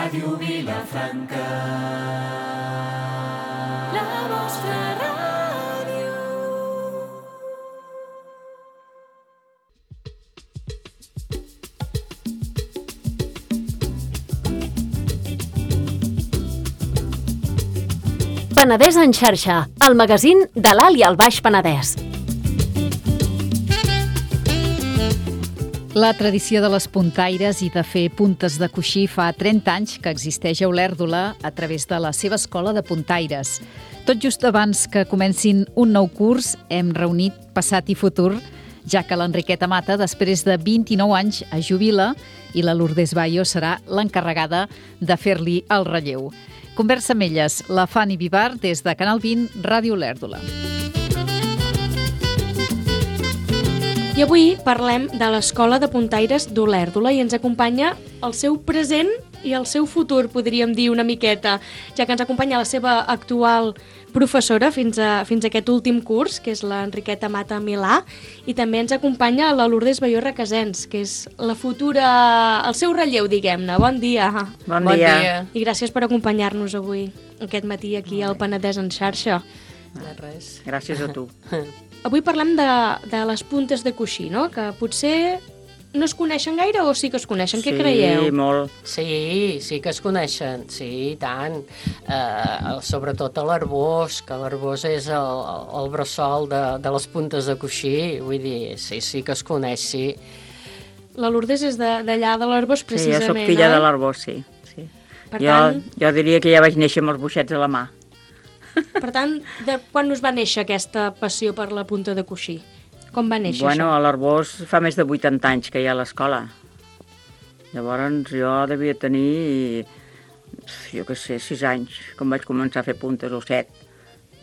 Ràdio Vilafranca, la vostra ràdio. Penedès en xarxa, el magazín de l'Alt i el Baix Penedès. La tradició de les puntaires i de fer puntes de coixí fa 30 anys que existeix a Olèrdola a través de la seva escola de puntaires. Tot just abans que comencin un nou curs, hem reunit passat i futur, ja que l'Enriqueta Mata, després de 29 anys, es jubila i la Lourdes Bayo serà l'encarregada de fer-li el relleu. Conversa amb elles, la Fanny Vivar, des de Canal 20, Ràdio Olèrdola. I avui parlem de l'Escola de Puntaires d'Olèrdola i ens acompanya el seu present i el seu futur, podríem dir una miqueta, ja que ens acompanya la seva actual professora fins a aquest últim curs, que és l'Enriqueta Mata Milà, i també ens acompanya la Lourdes Bayo Requesens, que és la futura, el seu relleu, diguem-ne. Bon dia. Bon dia. I gràcies per acompanyar-nos avui, aquest matí, aquí al Penedès en xarxa. De res. Gràcies a tu. Avui parlem de les puntes de coixí, no? Que potser no es coneixen gaire o sí que es coneixen? Què creieu? Sí, molt. Sí que es coneixen, sí, i tant. Sobretot a l'Arbós, que l'Arbós és el bressol de les puntes de coixí. Vull dir, sí que es coneix, sí. La Lourdes és d'allà de l'Arbós, precisament, Sí, jo soc filla de l'Arbós, sí. Per tant, jo diria que ja vaig néixer amb els boixets a la mà. Per tant, de quan us va néixer aquesta passió per la punta de coixí? Com va néixer Bueno, això? a l'Arbós fa més de 80 anys que hi ha a l'escola. Llavors jo devia tenir, jo què sé, 6 anys, quan vaig començar a fer puntes, o 7.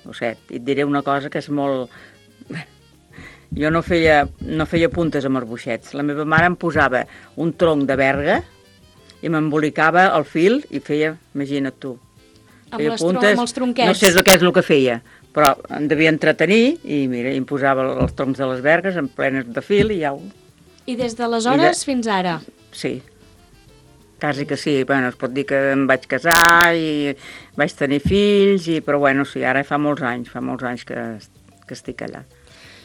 I et diré una cosa que és molt... Jo no feia puntes amb els boixets. La meva mare em posava un tronc de berga i m'embolicava el fil i feia, imagina't tu, Amb els tronquets? No sé què és el que feia, però em devia entretenir i mira, em posava els troncs de les bergues en plenes de fil i ja ho... I des d'aleshores fins ara? Sí, quasi que sí. Bueno, es pot dir que em vaig casar i vaig tenir fills, però bueno, sí, ara fa molts anys que estic allà.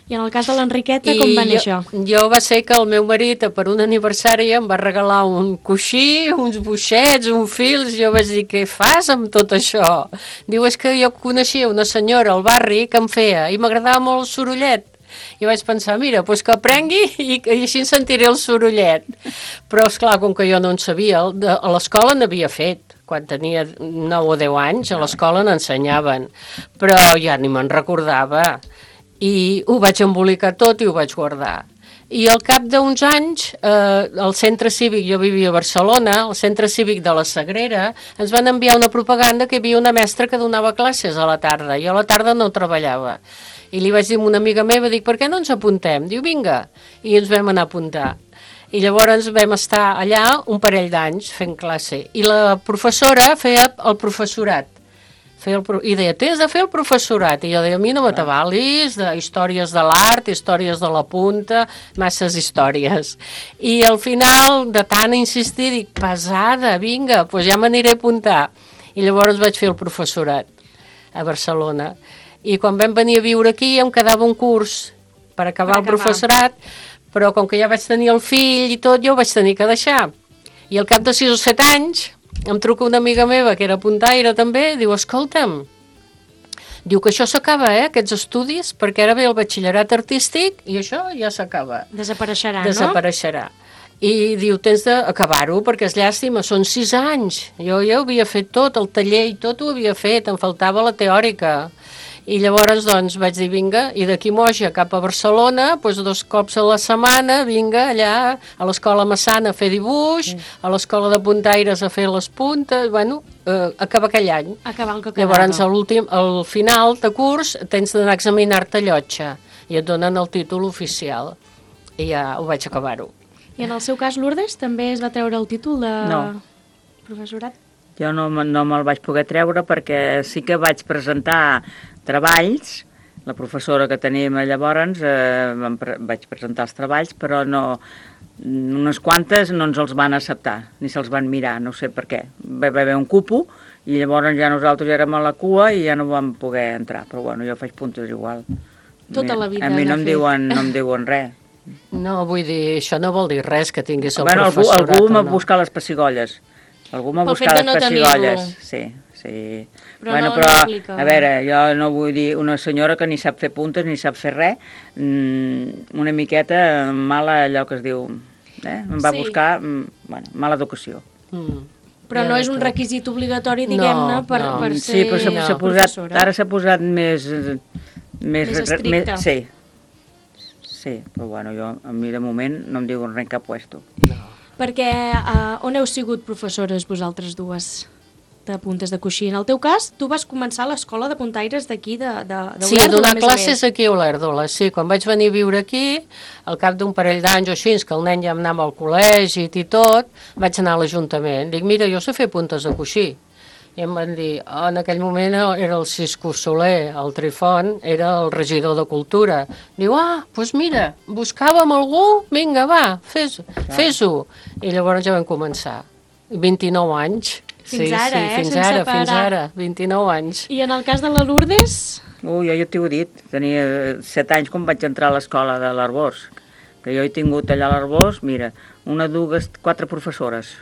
I en el cas de l'Enriqueta, com va néixer? Jo va ser que el meu marit, per un aniversari, em va regalar un coixí, uns boixets, un fils. Jo vaig dir, què fas amb tot això? Diu, és que jo coneixia una senyora al barri que em feia i m'agradava molt el sorollet. I vaig pensar, mira, doncs que aprengui i així en sentiré el sorollet. Però, esclar, com que jo no en sabia, a l'escola n'havia fet. Quan tenia 9 o 10 anys, a l'escola n'ensenyaven. Però ja ni me'n recordava. I ho vaig embolicar tot i ho vaig guardar. I al cap d'uns anys, el centre cívic, jo vivia a Barcelona, el centre cívic de la Sagrera, ens van enviar una propaganda que hi havia una mestra que donava classes a la tarda. Jo a la tarda no treballava. I li vaig dir a una amiga meva, dic, per què no ens apuntem? Diu, vinga. I ens vam anar a apuntar. I llavors vam estar allà un parell d'anys fent classe. I la professora feia el professorat. I deia, tens de fer el professorat. I jo deia, a mi no m'atabalis, de històries de l'art, històries de la punta, masses històries. I al final, de tant insistir, dic, pesada, vinga, doncs ja m'aniré a apuntar. I llavors vaig fer el professorat a Barcelona. I quan vam venir a viure aquí em quedava un curs per acabar el professorat, però com que ja vaig tenir el fill i tot, jo ho vaig tenir que deixar. I al cap de 6 o 7 anys em truca una amiga meva, que era puntaire també, diu, escolta'm, diu que això s'acaba, aquests estudis, perquè ara ve el batxillerat artístic i això ja s'acaba. Desapareixerà, Desapareixerà. I diu, tens d'acabar-ho, perquè és llàstima, són 6 anys. Jo ja ho havia fet tot, el taller i tot ho havia fet, em faltava la teòrica. I llavors, doncs, vaig dir, vinga, i d'aquí Moja cap a Barcelona, doncs 2 cops a la setmana, vinga, allà, a l'Escola Massana a fer dibuix, a l'Escola de Puntaires a fer les puntes, bueno, acaba aquell any. Acabar el que quedava. Llavors, al final de curs, tens d'anar a examinar-te llotja, i et donen el títol oficial. I ja ho vaig acabar-ho. I en el seu cas, Lourdes, també es va treure el títol de professorat? Jo no me'l vaig poder treure perquè sí que vaig presentar treballs La professora que teníem llavors vaig presentar els treballs, però no, unes quantes no ens els van acceptar, ni se'ls van mirar, no sé per què. Va haver un cupo i llavors ja nosaltres érem a la cua i ja no vam poder entrar, però bueno, jo faig puntes igual. Tota la vida, a mi no de em diuen res. No, vull dir, això no vol dir res que tinguis el Bueno, professorat algú m'ha o no. buscat les pessigolles. Algú m'ha Pel buscat fet de les no pessigolles. tenir-lo. Sí. Però Bueno, no però, aplica. a veure, jo no vull dir una senyora que ni sap fer puntes ni sap fer res, una miqueta mala allò que es diu, em va Sí. buscar, bueno, mala educació. Però no és un requisit obligatori, diguem-ne, per Sí, ser però s'ha posat, professora. ara s'ha posat més estricte. Sí, però bueno, a mi de moment no em diuen res en cap puesto. Perquè on heu sigut professores vosaltres dues de puntes de coixí? En el teu cas, tu vas començar a l'escola de puntaires d'aquí, Sí, donar classes aquí a Olèrdola, sí. Quan vaig venir a viure aquí, al cap d'un parell d'anys o així, que el nen ja anava al col·legi i tot, vaig anar a l'Ajuntament. Dic, mira, jo sé fer puntes de coixí. I em van dir, en aquell moment era el Cisco Soler, el Trifont, era el regidor de Cultura. Diu, doncs mira, buscàvem algú, vinga, va, fes-ho. I llavors ja vam començar. 29 anys. Fins ara, fins sense ara, parar. fins ara, 29 anys. I en el cas de la Lourdes? Jo t'ho he dit, tenia 7 anys quan vaig entrar a l'escola de l'Arbós, que jo he tingut allà a l'Arbós, mira, 1, 2, 4 professores.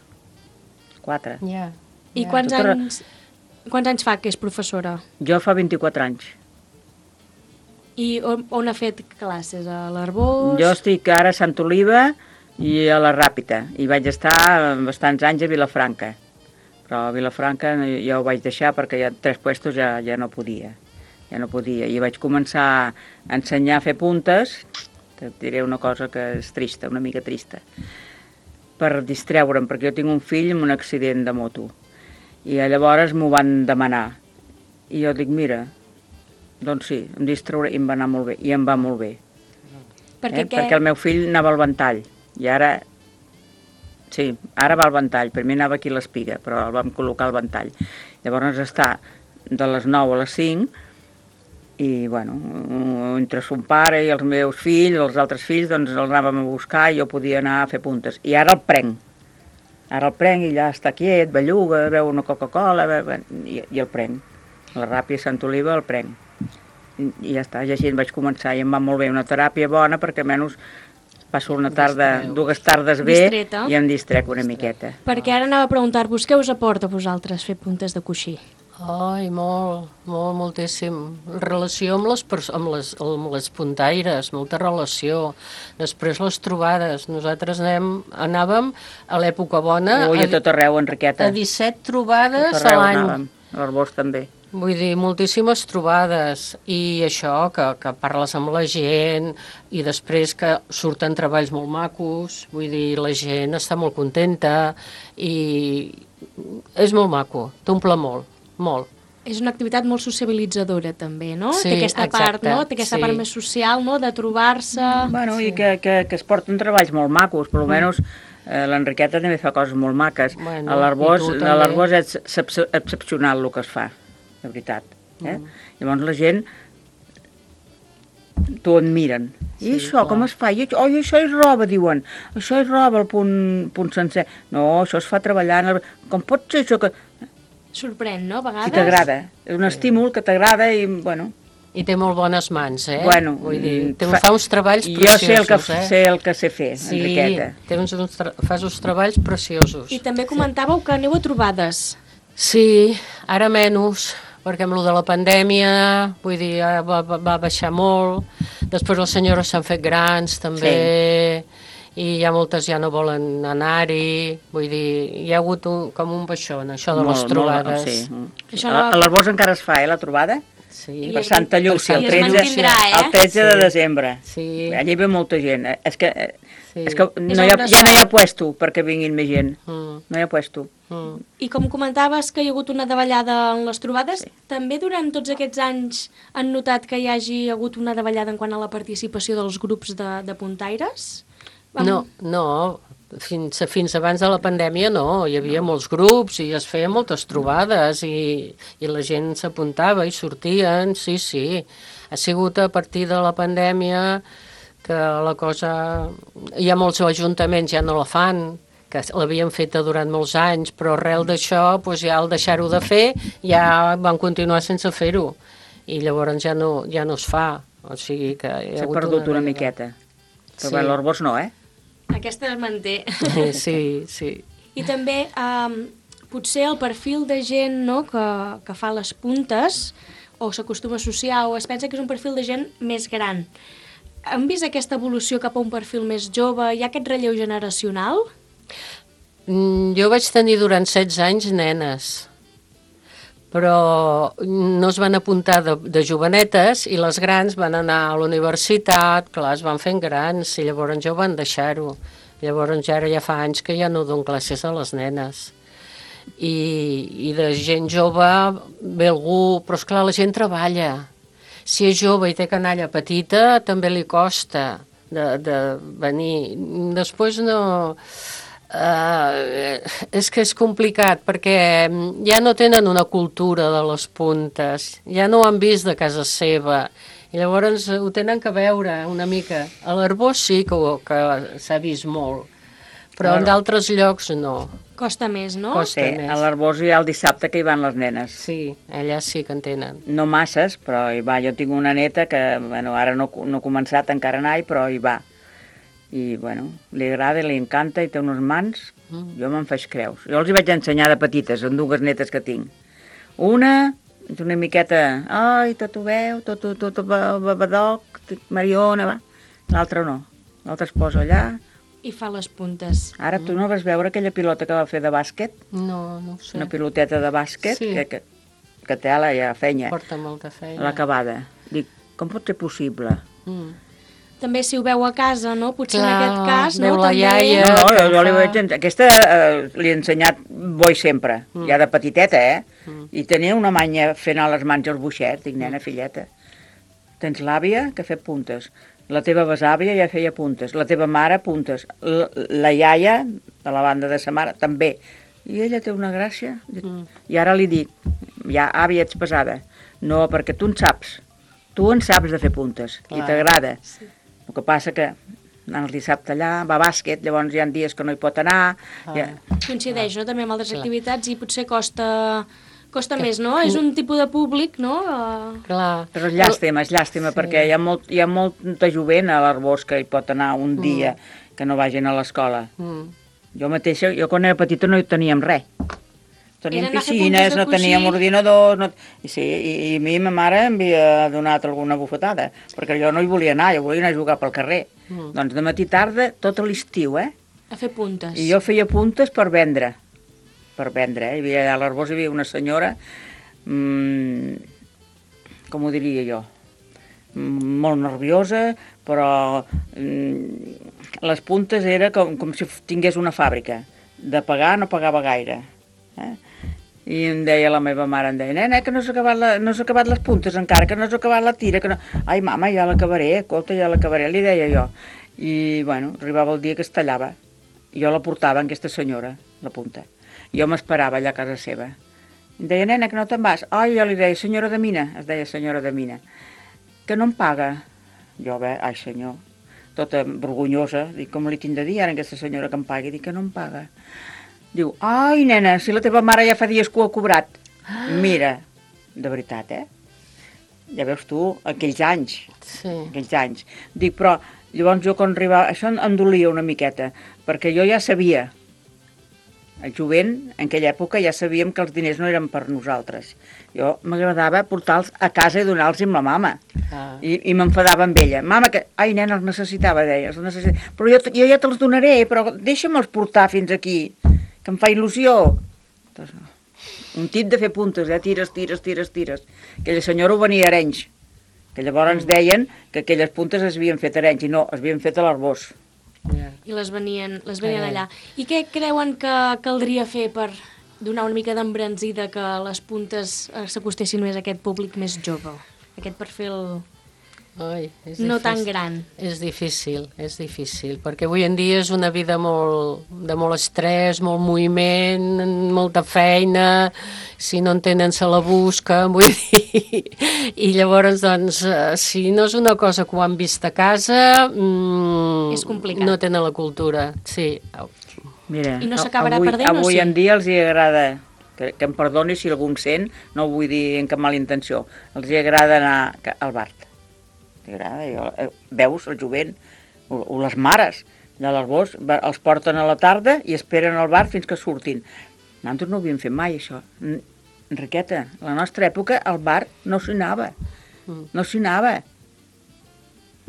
4. Ja. I quants anys fa que és professora? Jo fa 24 anys. I on ha fet classes? A l'Arbós? Jo estic ara a Sant Oliva i a la Ràpita, i vaig estar bastants anys a Vilafranca. Però a Vilafranca ja ho vaig deixar perquè ja 3 puestos ja no podia. Ja no podia. I vaig començar a ensenyar a fer puntes, et diré una cosa que és trista, una mica trista, per distreure'm, perquè jo tinc un fill amb un accident de moto. I llavors m'ho van demanar. I jo dic, mira, doncs sí, em distrauré, i em va anar molt bé, i em va molt bé. Perquè el meu fill anava al ventall, i ara... Sí, ara va al ventall, primer anava aquí a l'Espiga, però el vam col·locar al ventall. Llavors està de les 9 a les 5, i bueno, entre son pare i els meus fills, els altres fills, doncs els anàvem a buscar i jo podia anar a fer puntes. I ara el prenc. Ara el prenc i ja està quiet, belluga, veu una Coca-Cola, i el prenc. La Ràpia Sant Oliva el prenc. I ja està, i així vaig començar i em va molt bé, una teràpia bona perquè almenys passo una tarda, 2 tardes bé Distreta. i em distrec una miqueta. Perquè ara anava a preguntar-vos què us aporta a vosaltres fer puntes de coixí? Ai, moltíssim. Relació amb les puntaires, molta relació. Després les trobades. Nosaltres anàvem a l'època bona... Ui, a tot arreu, Enriqueta. A 17 trobades Tot a arreu l'any. anàvem, a l'Arbós també. Vull dir, moltíssimes trobades. I això, que parles amb la gent i després que surten treballs molt macos. Vull dir, la gent està molt contenta i és molt maco, t'omple molt. Molt. És una activitat molt sociabilitzadora també, no? Sí, Té aquesta part, exacte, no? Té aquesta part més social, no? De trobar-se... Bueno, i que es porten treballs molt macos, per almenys l'Enriqueta també fa coses molt maques. Bueno, a i tu l'Arbós és excepcional el que es fa, de veritat. Llavors la gent t'ho admiren. I això, com es fa? Oi, això és roba, diuen. Això és roba, el punt sencer. No, això es fa treballant. Com pot ser això que... Sorprèn, no? A vegades... Si t'agrada. És un estímul que t'agrada i, bueno... I té molt bones mans, eh? Bueno, vull dir, fa uns treballs preciosos, jo sé el que sé fer, sí, Enriqueta. fas uns treballs preciosos. I també comentàveu que aneu a trobades. Sí, ara menys, perquè amb lo de la pandèmia, vull dir, va baixar molt. Després les senyores s'han fet grans, també, i ja moltes ja no volen anar-hi. Vull dir, hi ha hagut com un baixó en això de les trobades. Sí. A l'Arbós encara es fa, la trobada? Sí. Per Santa Llúcia, el 13 de desembre. Sí. Allà hi ve molta gent. És que ja no hi ha puesto perquè vinguin més gent. No hi ha puesto. I com comentaves que hi ha hagut una davallada en les trobades, també durant tots aquests anys han notat que hi hagi hagut una davallada en quant a la participació dels grups de puntaires? No, Fins abans de la pandèmia no, hi havia molts grups i es feien moltes trobades i la gent s'apuntava i sortien, sí, sí. Ha sigut a partir de la pandèmia que la cosa... Hi ha molts ajuntaments ja no la fan, que l'havien feta durant molts anys, però arrel d'això, doncs ja al deixar-ho de fer, ja van continuar sense fer-ho. I llavors ja no es fa. O sigui que s'ha perdut una miqueta. Però sí. L'Arbós no, eh? Aquesta es manté. Sí, sí. I també potser el perfil de gent, no, que fa les puntes o s'acostuma a associar o es pensa que és un perfil de gent més gran. Han vist aquesta evolució cap a un perfil més jove? Hi ha aquest relleu generacional? Jo vaig tenir durant 16 anys nenes, però no es van apuntar de jovenetes i les grans van anar a la universitat, clar, es van fent grans i llavors ja ho van deixar-ho. Llavors ara ja fa anys que ja no dono classes a les nenes. I de gent jove ve algú, però esclar, la gent treballa. Si és jove i té canalla petita, també li costa de venir. Després no... és que és complicat perquè ja no tenen una cultura de les puntes, ja no ho han vist de casa seva i llavors ho tenen que veure una mica. A l'Arbós sí que s'ha vist molt, però en d'altres llocs no. Costa més, no? Costa més. A l'Arbós hi ha el dissabte que hi van les nenes. Sí, allà sí que en tenen. No masses, però hi va. Jo tinc una neta que, bueno, ara no ha començat encara a anar-hi, però hi va. I, bueno, li agrada, li encanta i té unes mans, jo me'n faig creus. Jo els hi vaig ensenyar de petites, amb dues netes que tinc. Una és una miqueta, ai, tot ho veu, tot babadoc, Mariona, va. L'altra no, l'altra es posa allà. I fa les puntes. Ara tu no vas veure aquella pilota que va fer de bàsquet? No, no ho sé. Una piloteta de bàsquet, sí. que té ja feina. Porta molta feina. L'acabada. Dic, com pot ser possible? També si ho veu a casa, no? Potser clar, en aquest cas, veu no? La iaia, no, jo li vaig ensenyar. Aquesta li he ensenyat boi sempre, ja de petiteta, I tenia una manya fent a les mans els boixets. Dic, nena, filleta, tens l'àvia que ha fet puntes, la teva besàvia ja feia puntes, la teva mare puntes, la iaia, de la banda de sa mare, també. I ella té una gràcia. I ara li dic, ja, àvia, ets pesada. No, perquè tu en saps de fer puntes, i t'agrada. Sí. El que passa que el dissabte allà, va a bàsquet, llavors hi ha dies que no hi pot anar. Coincideix, no?, també amb altres activitats i potser costa més, no? És un tipus de públic, no? Clar. Però és llàstima, perquè hi ha molta jovent a l'Arbós que hi pot anar un dia que no vagin a l'escola. Jo mateixa, quan era petita no hi teníem res. Teníem piscines, no teníem ordinadors... I a mi ma mare em havia donat alguna bufetada, perquè jo no hi volia anar, jo volia anar a jugar pel carrer. Doncs de matí tarda, tot l'estiu, a fer puntes. I jo feia puntes per vendre. A l'Arbós hi havia una senyora, com ho diria jo, molt nerviosa, però les puntes era com si tingués una fàbrica. De pagar no pagava gaire. I em deia la meva mare, nena, que no s'ha acabat les puntes encara, que no s'ha acabat la tira, que no... Ai, mama, ja l'acabaré, escolta, ja l'acabaré, li deia jo. I, bueno, arribava el dia que es tallava. Jo la portava en aquesta senyora, la punta. Jo m'esperava allà a casa seva. Em deia, nena, que no te'n vas. Ai, jo li deia, senyora de Mina, es deia senyora de Mina, que no em paga. Jo, ai, senyor, tota vergonyosa, dic, com li tinc de dir ara a aquesta senyora que em pagui? Dic que no em paga. Diu, ai, nena, si la teva mare ja fa dies que ho ha cobrat. Mira, de veritat, Ja veus tu, aquells anys. Sí. Aquells anys. Dic, però llavors jo quan arribava... Això em dolia una miqueta, perquè jo ja sabia, el jovent, en aquella època ja sabíem que els diners no eren per nosaltres. Jo m'agradava portar-los a casa i donar-los amb la mama. I m'enfadava amb ella. Mama, que... Ai, nena, els necessitava, deia. Però jo ja te'ls donaré, però deixa'me'ls portar fins aquí, que em fa il·lusió. Doncs no. Un tip de fer puntes, tires. Aquella senyora ho venia a Arenys, que llavors ens deien que aquelles puntes es havien fet a Arenys, i no, es havien fet a l'Arbós. I les venien allà. I què creuen que caldria fer per donar una mica d'embranzida que les puntes s'acostessin més a aquest públic més jove? Aquest perfil Ai, és no difícil. tan gran. És difícil, perquè avui en dia és una vida de molt estrès, molt moviment, molta feina, si no en tenen se la busquen, vull dir, i llavors, doncs, si no és una cosa que ho han vist a casa, És complicat. no tenen la cultura, sí. Mira, I no s'acabarà perdent, o avui sí? en dia els hi agrada, que em perdoni si algú em sent, no ho vull dir en cap mala intenció, els hi agrada anar al bar. Veus el jovent o les mares de l'Arbós els porten a la tarda i esperen al bar fins que surtin. Nosaltres no ho havíem fet mai, això. Enriqueta, a la nostra època al bar no s'hi anava. No s'hi anava.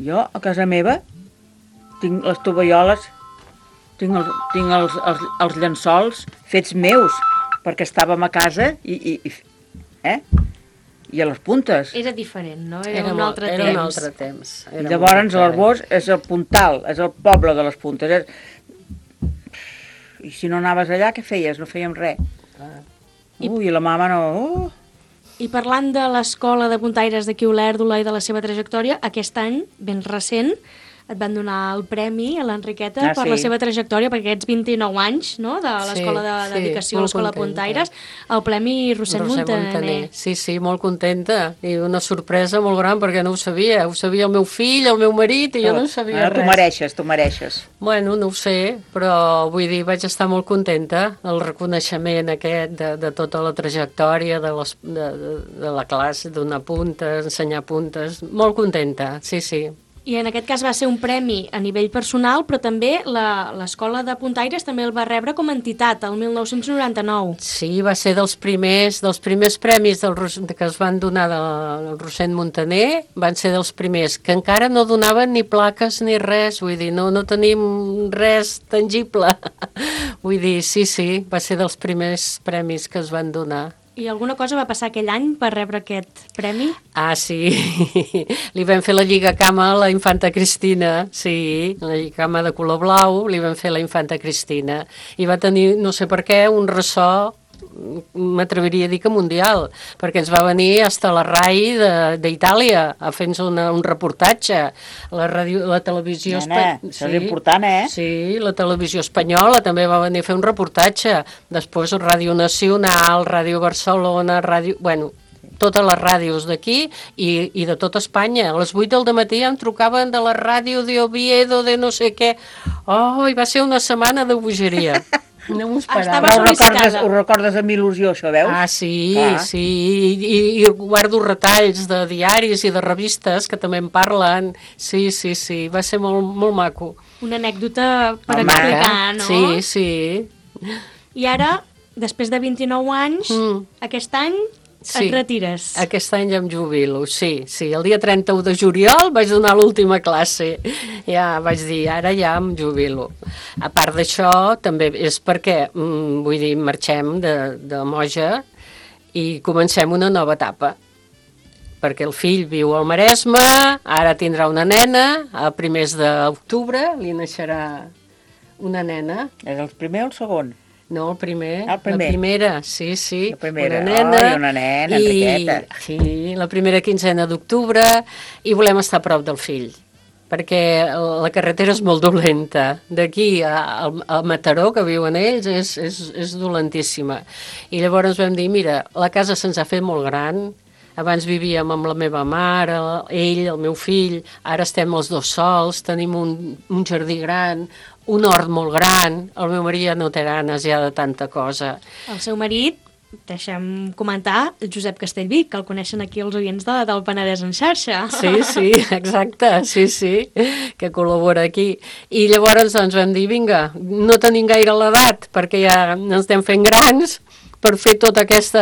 Jo, a casa meva, tinc les tovalloles, tinc els llençols fets meus, perquè estàvem a casa i a les puntes. Era diferent, no? Era un altre Era temps. un altre temps. I llavors l'Arbós és el puntal, és el poble de les puntes. I si no anaves allà, què feies? No fèiem res. I la mama no... I parlant de l'escola de puntaires d'aquí a Olèrdola i de la seva trajectòria, aquest any, ben recent, et van donar el premi a l'Enriqueta per la seva trajectòria, per aquests 29 anys, no?, de l'Escola de Dedicació a l'Escola de Puntaires, el Premi Roser Montaner. Sí, molt contenta. I una sorpresa molt gran, perquè no ho sabia. Ho sabia el meu fill, el meu marit, i jo no ho sabia res. Tu mereixes. Bueno, no ho sé, però vull dir, vaig estar molt contenta. El reconeixement aquest de tota la trajectòria de la classe, donar puntes, ensenyar puntes. Molt contenta, sí. I en aquest cas va ser un premi a nivell personal, però també l'Escola de Puntaires també el va rebre com a entitat, el 1999. Sí, va ser dels primers premis que es van donar del Roser Montaner, van ser dels primers, que encara no donaven ni plaques ni res, vull dir, no tenim res tangible. Vull dir, sí, va ser dels primers premis que es van donar. I alguna cosa va passar aquell any per rebre aquest premi? Ah, sí, li vam fer la lligacama a la infanta Cristina, sí, la lligacama de color blau, li vam fer la infanta Cristina, i va tenir, no sé per què, un ressò, m'atreviria a dir que mundial, perquè ens va venir hasta la RAI d'Itàlia a fer-nos un reportatge, la televisió... Això és important, Sí, la televisió espanyola també va venir a fer un reportatge, després Ràdio Nacional, Ràdio Barcelona, Bueno, totes les ràdios d'aquí i de tota Espanya. A les 8 del matí em trucaven de la ràdio d'Oviedo, de no sé què. Oh, i va ser una setmana de bogeria. No m'ho esperava. Ho recordes amb il·lusió, això, veus? Ah, sí, i guardo retalls de diaris i de revistes que també en parlen. Sí, va ser molt maco. Una anècdota per explicar, no? Sí. I ara, després de 29 anys, aquest any et retires. Aquest any ja em jubilo, sí. El dia 31 de juliol vaig donar l'última classe. Ja vaig dir, ara ja em jubilo. A part d'això, també és perquè, vull dir, marxem de Moja i comencem una nova etapa. Perquè el fill viu al Maresme, ara tindrà una nena, a primers d'octubre li naixerà una nena. És el primer o el segon? No, el primer. El primer. La primera, sí. La primera. Una nena, Enriqueta. Sí, la primera quinzena d'octubre, i volem estar a prop del fill, perquè la carretera és molt dolenta. D'aquí a Mataró, que viuen ells, és dolentíssima. I llavors vam dir, mira, la casa se'ns ha fet molt gran, abans vivíem amb la meva mare, ell, el meu fill, ara estem els dos sols, tenim un jardí gran, un hort molt gran, el meu marit ja no té ganes ja de tanta cosa. El seu marit, deixem comentar, Josep Castellví, que el coneixen aquí els oients del Penedès en xarxa. Sí, exacte, sí, que col·labora aquí. I llavors ens vam dir, vinga, no tenim gaire l'edat, perquè ja ens estem fent grans per fer tot aquest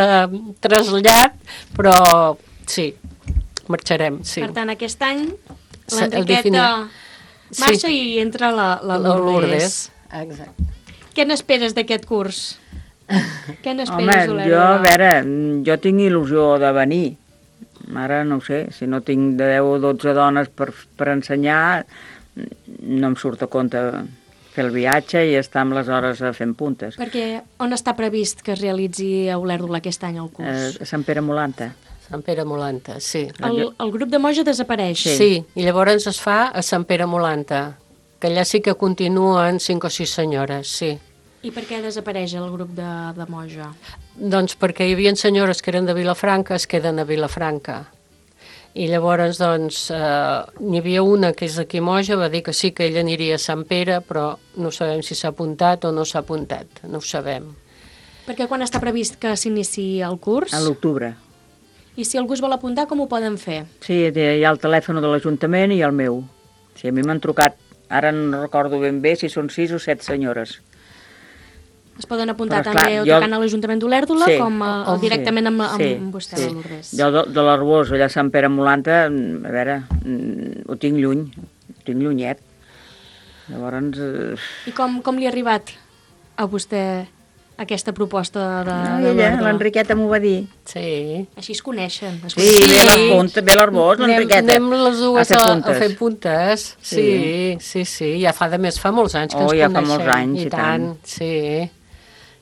trasllat, però sí, marxarem, sí. Per tant, aquest any l'Enriqueta marxa i entra la Lourdes. Exacte. Què n'esperes d'aquest curs? Què Home, n'esperes, Olèrdola? jo tinc il·lusió de venir. Ara no ho sé, si no tinc 10 o 12 dones per ensenyar, no em surt a compte fer el viatge i estar amb les hores fent puntes. Perquè on està previst que es realitzi a Olèrdola aquest any el curs? A Sant Pere Molanta. Sant Pere Molanta, sí. El grup de Moja desapareix. Sí, i llavors es fa a Sant Pere Molanta, que allà sí que continuen 5 o 6 senyores, sí. I per què desapareix el grup de Moja? Doncs perquè hi havia senyores que eren de Vilafranca, es queden a Vilafranca. I llavors, doncs, n'hi havia una que és d'aquí Moja, va dir que sí que ella aniria a Sant Pere, però no sabem si s'ha apuntat o no s'ha apuntat, no ho sabem. Perquè quan està previst que s'iniciï el curs? A l'octubre. I si algú es vol apuntar, com ho poden fer? Sí, hi ha el telèfon de l'Ajuntament i el meu. Sí, a mi m'han trucat, ara no recordo ben bé si són 6 o 7 senyores. Es poden apuntar Però, també clar, o tocant a l'Ajuntament d'Olèrdola com directament amb vostè, sí. la Lourdes. Jo de l'Arbós, allà a Sant Pere Molanta, a veure, ho tinc lluny, ho tinc llunyet. Llavors... I com li ha arribat a vostè aquesta proposta de ella, l'Enriqueta m'ho va dir. Sí. Així es coneixen. Sí, ve l'Arbós, l'Enriqueta. Anem les dues a fer puntes. Sí. Ja fa molts anys que ens coneixem. Ja fa molts anys, i tant. Sí.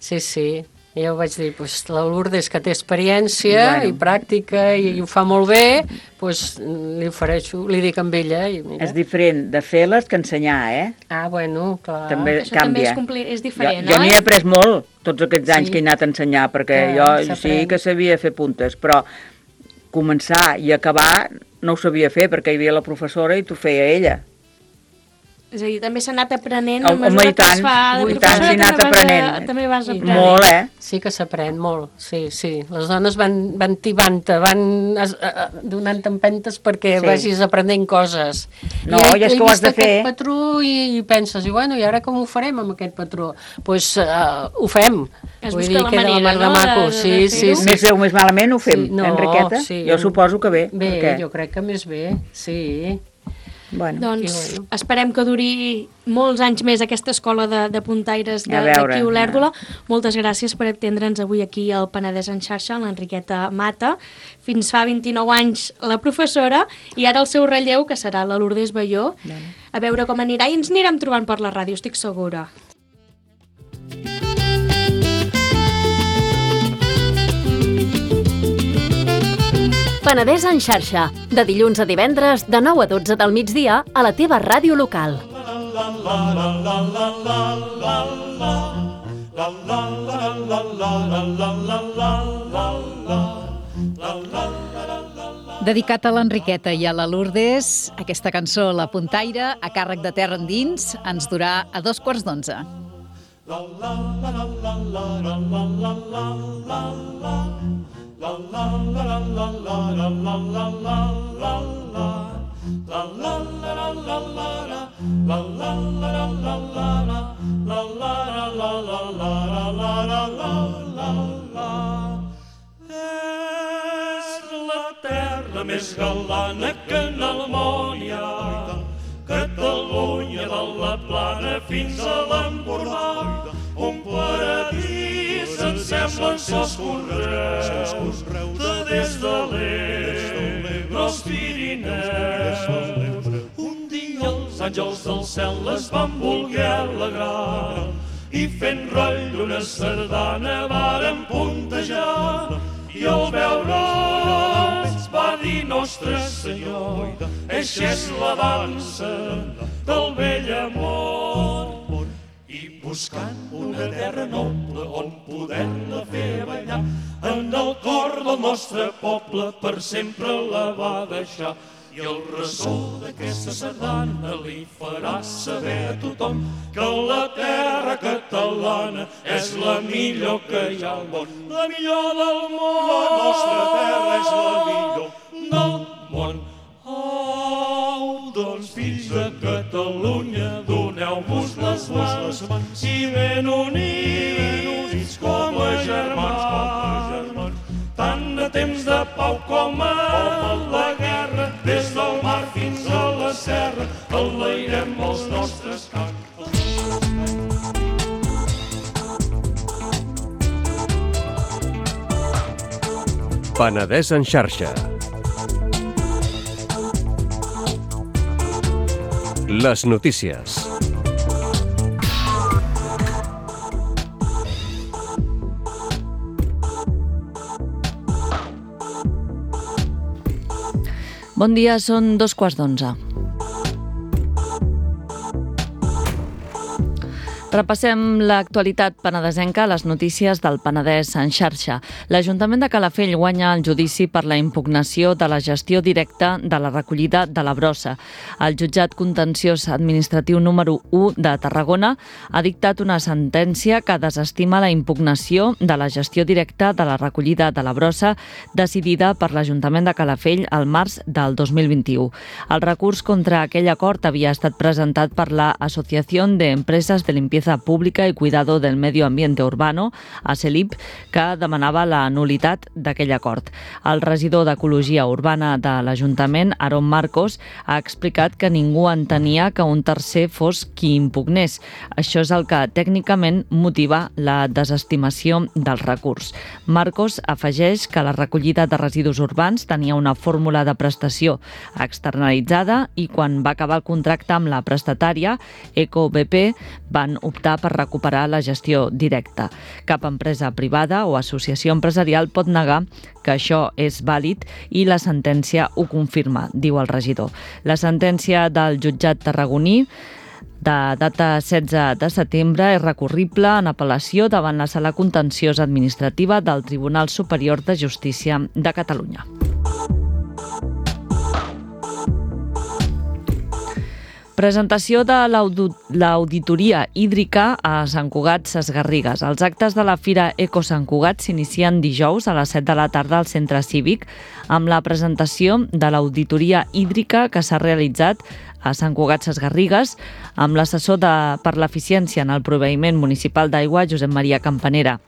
I jo vaig dir, la Lourdes, que té experiència i pràctica i ho fa molt bé, li ofereixo, li dic amb ella. És diferent de fer-les que ensenyar, Ah, bueno, clar. També això canvia. També és diferent, jo n'hi he après molt, tots aquests anys que he anat a ensenyar, perquè jo sí que sabia fer puntes, però començar i acabar no ho sabia fer, perquè hi havia la professora i t'ho feia ella. És a dir, també s'ha anat aprenent a mesura que es fa de professora, també vas aprenent. Molt, Sí que s'aprèn molt, sí. Les dones van tibant-te, van donant empentes perquè vagis aprenent coses. No, i és que ho has de fer. Aquest patró i penses, i ara com ho farem amb aquest patró? Doncs ho fem. Es busca la manera, no? Sí. Més bé o més malament ho fem, Enriqueta? Jo suposo que bé. Bé, jo crec que més bé, sí. Doncs esperem que duri molts anys més aquesta escola de puntaires d'aquí a Olèrdola. Moltes gràcies per atendre'ns avui aquí al Penedès en xarxa, l'Enriqueta Mata. Fins fa 29 anys la professora i ara el seu relleu, que serà la Lourdes Balló. A veure com anirà i ens anirem trobant per la ràdio, estic segura. Penedès en xarxa, de dilluns a divendres, de 9 a 12 del migdia, a la teva ràdio local. Dedicat a l'Enriqueta i a la Lourdes, aquesta cançó, La Puntaire, a càrrec de Terra Endins, ens durà a 2:15. Més galana que en el món hi ha, Catalunya de la Plana fins a l'Empordà, un paradís ens semblen sos conreus, de des de l'Ebre als Pirineus. Un dia els àngels del cel es van voler alegrar i fent roll una sardana varen puntejar, i al veure'ls va dir Nostre Senyor, eixa és la dansa del vell amor. I buscant una terra noble on poder-la fer ballar, en el cor del nostre poble per sempre la va deixar. I el ressò d'aquesta sardana li farà saber a tothom que la terra catalana és la millor que hi ha al món. La millor del món. La nostra terra és la millor del món. Au, doncs fills de Catalunya, doneu-vos les mans i ben units com a germans. Tant de temps de pau com a la guerra, des del mar fins a la serra, enlairem els nostres camps. Penedès en xarxa. Les notícies. Bon dia, són 11:15. Repassem l'actualitat penedesenca a les notícies del Penedès en xarxa. L'Ajuntament de Calafell guanya el judici per la impugnació de la gestió directa de la recollida de la brossa. El jutjat contenciós administratiu número 1 de Tarragona ha dictat una sentència que desestima la impugnació de la gestió directa de la recollida de la brossa decidida per l'Ajuntament de Calafell al març del 2021. El recurs contra aquell acord havia estat presentat per la Asociación de Empresas de Limpieza Pública y Cuidado del Medio Ambiente Urbano, ASELIP, que demanava la nulitat d'aquell acord. El regidor d'Ecologia Urbana de l'Ajuntament, Aaron Marcos, ha explicat que ningú entenia que un tercer fos qui impugnés. Això és el que tècnicament motiva la desestimació del recurs. Marcos afegeix que la recollida de residus urbans tenia una fórmula de prestació externalitzada i quan va acabar el contracte amb la prestatària, EcoBP, van optar per recuperar la gestió directa. Cap empresa privada o associació empresarial pot negar que això és vàlid i la sentència ho confirma, diu el regidor. La sentència del jutjat tarragoní de data 16 de setembre és recurrible en apel·lació davant la Sala Contenciosa Administrativa del Tribunal Superior de Justícia de Catalunya. Presentació de l'auditoria hídrica a Sant Cugat Sesgarrigues. Els actes de la Fira Eco Sant Cugat s'inicien dijous a les 7 de la tarda al Centre Cívic amb la presentació de l'auditoria hídrica que s'ha realitzat a Sant Cugat Sesgarrigues amb l'assessor per l'eficiència en el proveïment municipal d'aigua, Josep Maria Campanera.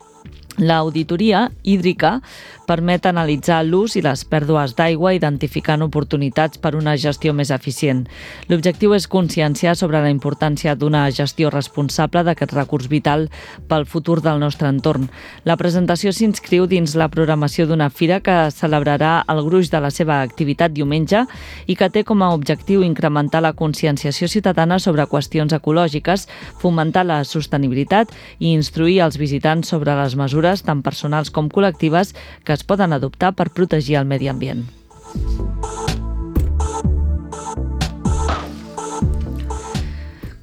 L'auditoria hídrica permet analitzar l'ús i les pèrdues d'aigua identificant oportunitats per una gestió més eficient. L'objectiu és conscienciar sobre la importància d'una gestió responsable d'aquest recurs vital pel futur del nostre entorn. La presentació s'inscriu dins la programació d'una fira que celebrarà el gruix de la seva activitat diumenge i que té com a objectiu incrementar la conscienciació ciutadana sobre qüestions ecològiques, fomentar la sostenibilitat i instruir els visitants sobre les mesures tant personals com col·lectives que es poden adoptar per protegir el medi ambient.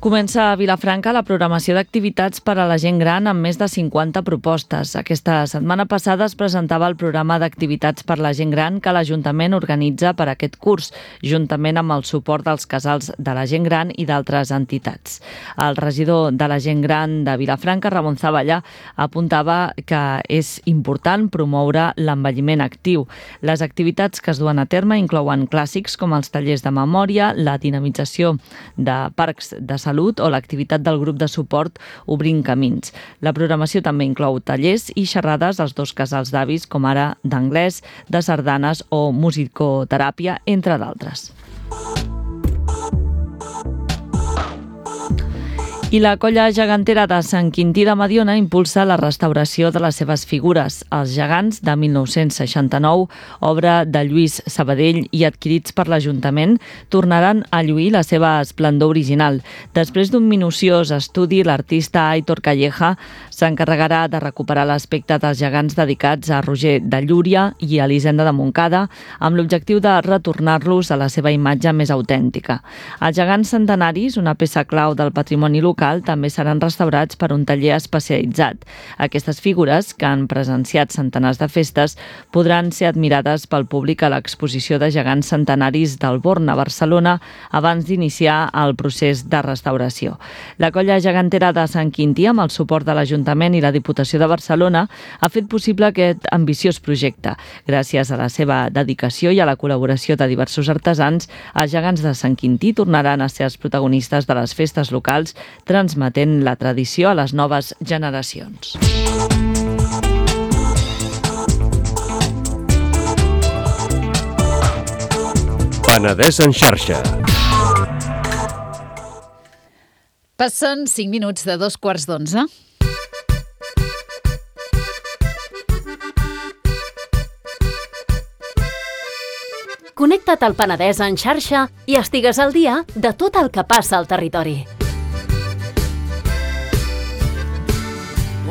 Comença a Vilafranca la programació d'activitats per a la gent gran amb més de 50 propostes. Aquesta setmana passada es presentava el programa d'activitats per a la gent gran que l'Ajuntament organitza per a aquest curs, juntament amb el suport dels casals de la gent gran i d'altres entitats. El regidor de la gent gran de Vilafranca, Ramon Zavallà, apuntava que és important promoure l'envelliment actiu. Les activitats que es duen a terme inclouen clàssics com els tallers de memòria, la dinamització de parcs de salut o l'activitat del grup de suport Obrint Camins. La programació també inclou tallers i xerrades als dos casals d'avis, com ara d'anglès, de sardanes o musicoteràpia, entre d'altres. I la colla gegantera de Sant Quintí de Mediona impulsa la restauració de les seves figures. Els gegants de 1969, obra de Lluís Sabadell i adquirits per l'Ajuntament, tornaran a lluir la seva esplendor original. Després d'un minuciós estudi, l'artista Aitor Calleja s'encarregarà de recuperar l'aspecte dels gegants dedicats a Roger de Llúria i a Elisenda de Montcada, amb l'objectiu de retornar-los a la seva imatge més autèntica. Els gegants centenaris, una peça clau del patrimoni local, també seran restaurats per un taller especialitzat. Aquestes figures, que han presenciat centenars de festes, podran ser admirades pel públic a l'exposició de gegants centenaris del Born a Barcelona abans d'iniciar el procés de restauració. La colla gegantera de Sant Quintí, amb el suport de l'Ajuntament i la Diputació de Barcelona, ha fet possible aquest ambiciós projecte. Gràcies a la seva dedicació i a la col·laboració de diversos artesans, els gegants de Sant Quintí tornaran a ser els protagonistes de les festes locals, transmetent la tradició a les noves generacions. Penedès en xarxa. Passen 5 minuts de 11:15. Connecta't al Penedès en xarxa i estigues al dia de tot el que passa al territori.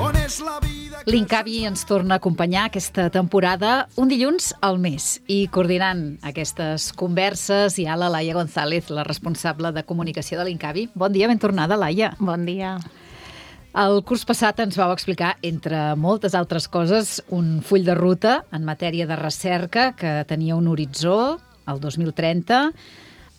On és la vida L'Incavi ens torna a acompanyar aquesta temporada un dilluns al mes i coordinant aquestes converses hi ha la Laia González, la responsable de comunicació de l'Incavi. Bon dia, ben tornada, Laia. Bon dia. El curs passat ens vau explicar, entre moltes altres coses, un full de ruta en matèria de recerca que tenia un horitzó, el 2030,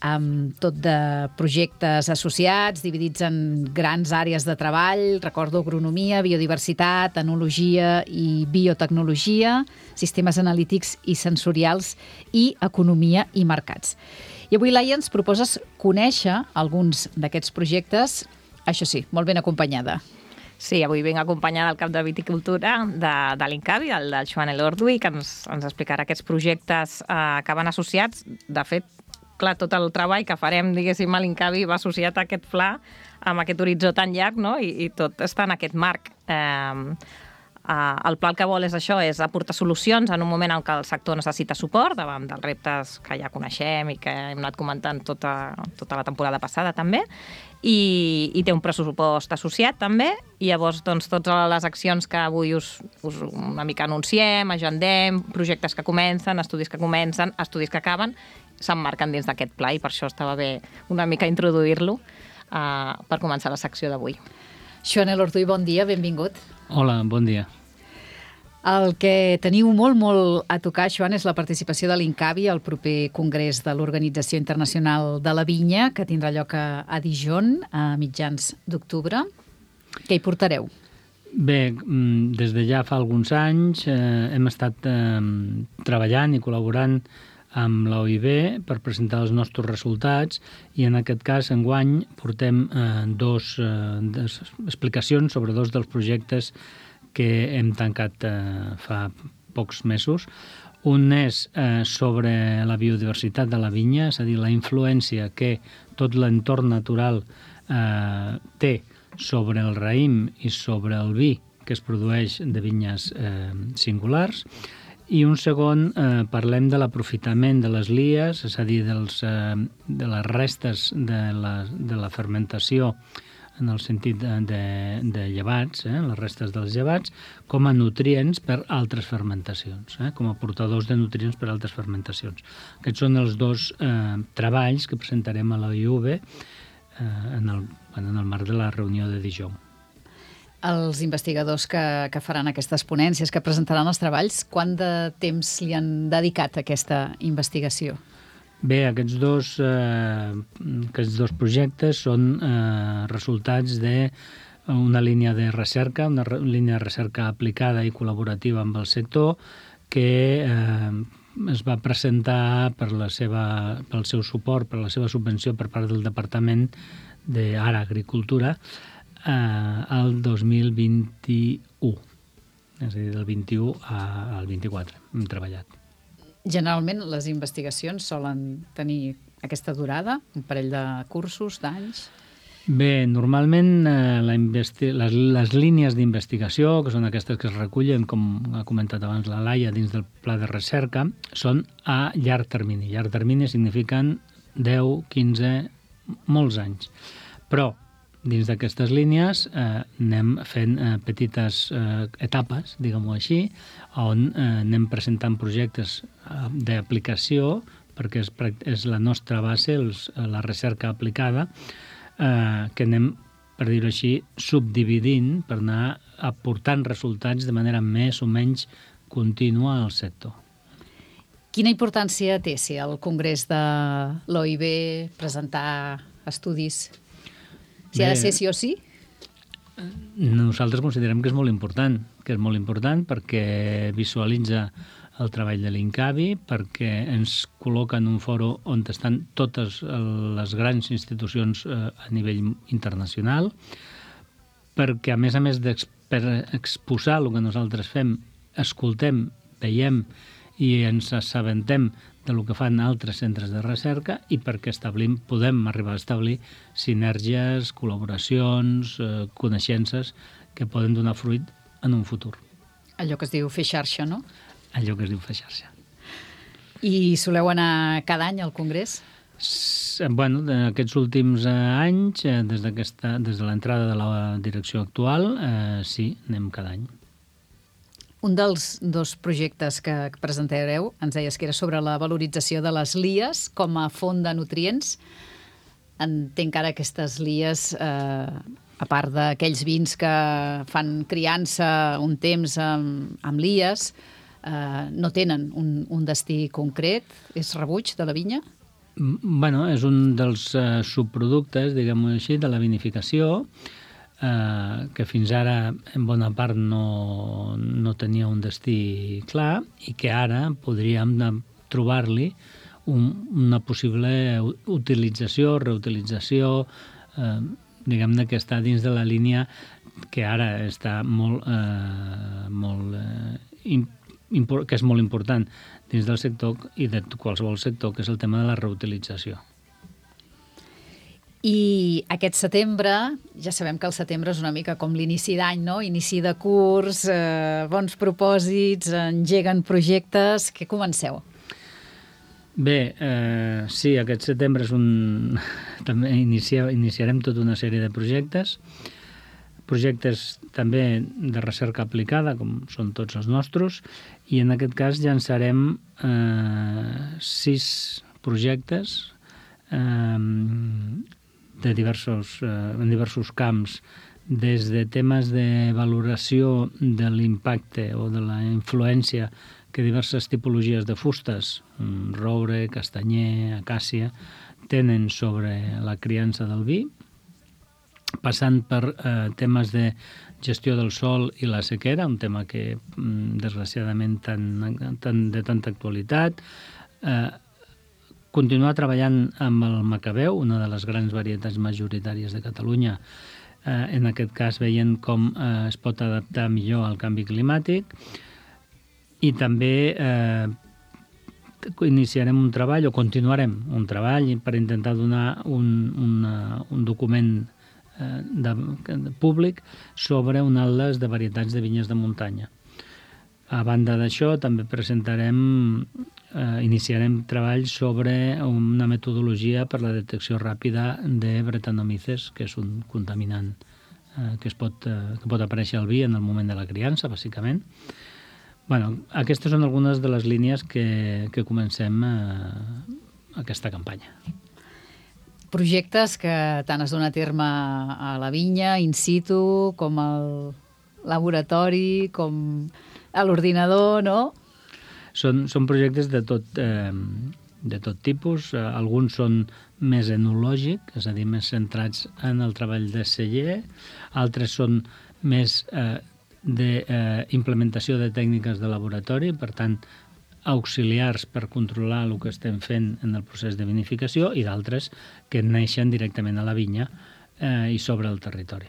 amb tot de projectes associats, dividits en grans àrees de treball, recordo agronomia, biodiversitat, enologia i biotecnologia, sistemes analítics i sensorials i economia i mercats. I avui, Laia, ens proposes conèixer alguns d'aquests projectes, això sí, molt ben acompanyada. Sí, avui vinc acompanyada del cap de viticultura de l'Incavi, del Joan Elorduy, que ens explicarà aquests projectes que van associats. De fet, clar, tot el treball que farem, diguéssim, a l'Incavi va associat a aquest pla, amb aquest horitzó tan llarg, no? I tot està en aquest marc. El pla el que vol és això, és aportar solucions en un moment en què el sector necessita suport davant dels reptes que ja coneixem i que hem anat comentant tota la temporada passada també, i té un pressupost associat també, i llavors doncs, totes les accions que avui us una mica anunciem, agendem, projectes que comencen, estudis que comencen, estudis que acaben, s'emmarquen dins d'aquest pla, i per això estava bé una mica introduir-lo per començar la secció d'avui. Joan Elorduy, bon dia, benvingut. Hola, bon dia. El que teniu molt a tocar, Joan, és la participació de l'Incavi al proper congrés de l'Organització Internacional de la Vinya, que tindrà lloc a Dijon a mitjans d'octubre. Què hi portareu? Bé, des de ja fa alguns anys hem estat treballant i col·laborant amb l'OIB per presentar els nostres resultats, i en aquest cas, enguany, portem dos explicacions sobre dos dels projectes que hem tancat fa pocs mesos. Un és sobre la biodiversitat de la vinya, és a dir, la influència que tot l'entorn natural té sobre el raïm i sobre el vi que es produeix de vinyes singulars. I un segon, parlem de l'aprofitament de les lies, és a dir, de les restes de la fermentació en el sentit de llevats, les restes dels llevats, com a nutrients per altres fermentacions, com a portadors de nutrients per altres fermentacions. Aquests són els dos treballs que presentarem a la IUB en el marc de la reunió de Dijon. Els investigadors que faran aquestes ponències, que presentaran els treballs, quant de temps li han dedicat a aquesta investigació? Bé, aquests dos projectes són resultats d'una línia de recerca, una línia de recerca aplicada i col·laborativa amb el sector, que es va presentar pel seu suport, per la seva subvenció per part del Departament d'Ara Agricultura, al 2021, és a dir, del 21 al 24 hem treballat. Generalment les investigacions solen tenir aquesta durada, un parell de cursos, d'anys? Bé, normalment les línies d'investigació, que són aquestes que es recullen, com ha comentat abans la Laia, dins del pla de recerca, són a llarg termini. Llarg termini signifiquen 10, 15, molts anys. Però dins d'aquestes línies anem fent petites etapes, diguem-ho així, on anem presentant projectes d'aplicació, perquè és la nostra base, la recerca aplicada, que anem, per dir-ho així, subdividint per anar aportant resultats de manera més o menys contínua al sector. Quina importància té si al congrés de l'OIB presentar estudis? Si ha de ser sí o sí? Nosaltres considerem que és molt important, perquè visualitza el treball de l'Incavi, perquè ens col·loca en un foro on estan totes les grans institucions a nivell internacional, perquè a més per exposar el que nosaltres fem, escoltem, veiem i ens assabentem del que fan altres centres de recerca, i perquè podem arribar a establir sinergies, col·laboracions, coneixences que poden donar fruit en un futur. Allò que es diu fer xarxa, no? Allò que es diu fer xarxa. I soleu anar cada any al congrés? Bueno, aquests últims anys, des de l'entrada de la direcció actual, sí, anem cada any. Un dels dos projectes que presentareu, ens deies que era sobre la valorització de les lies com a font de nutrients. Entenc que ara aquestes lies, a part d'aquells vins que fan criança un temps amb lies, no tenen un destí concret? És rebuig de la vinya? Bueno, és un dels subproductes, diguem-ho així, de la vinificació, que fins ara en bona part no tenia un destí clar i que ara podríem trobar-li una possible utilització, reutilització, diguem-ne que està dins de la línia que ara està que és molt important dins del sector i de qualsevol sector, que és el tema de la reutilització. I aquest setembre, ja sabem que el setembre és una mica com l'inici d'any, no? Inici de curs, bons propòsits, engeguen projectes. Què comenceu? Bé, sí, aquest setembre també iniciarem tota una sèrie de projectes també de recerca aplicada, com són tots els nostres, i en aquest cas llançarem 6 projectes en diversos camps, des de temes de valoració de l'impacte o de la influència que diverses tipologies de fustes, roure, castanyer, acàcia, tenen sobre la criança del vi, passant per temes de gestió del sol i la sequera, un tema que, desgraciadament, de tanta actualitat, continuar treballant amb el Macabeu, una de les grans varietats majoritàries de Catalunya, en aquest cas veient com es pot adaptar millor al canvi climàtic, i també iniciarem un treball, o continuarem un treball per intentar donar un document públic sobre un atles de varietats de vinyes de muntanya. A banda d'això, també iniciarem treball sobre una metodologia per la detecció ràpida de Brettanomyces, que és un contaminant que pot aparèixer al vi en el moment de la criança, bàsicament. Bueno, aquestes són algunes de les línies que comencem aquesta campanya. Projectes que tant es dona a terme a la vinya, in situ, com al laboratori, com a l'ordinador, no? Són projectes de tot tipus. Alguns són més enològics, és a dir, més centrats en el treball de celler. Altres són més d'implementació de tècniques de laboratori, per tant, auxiliars per controlar el que estem fent en el procés de vinificació, i d'altres que neixen directament a la vinya i sobre el territori.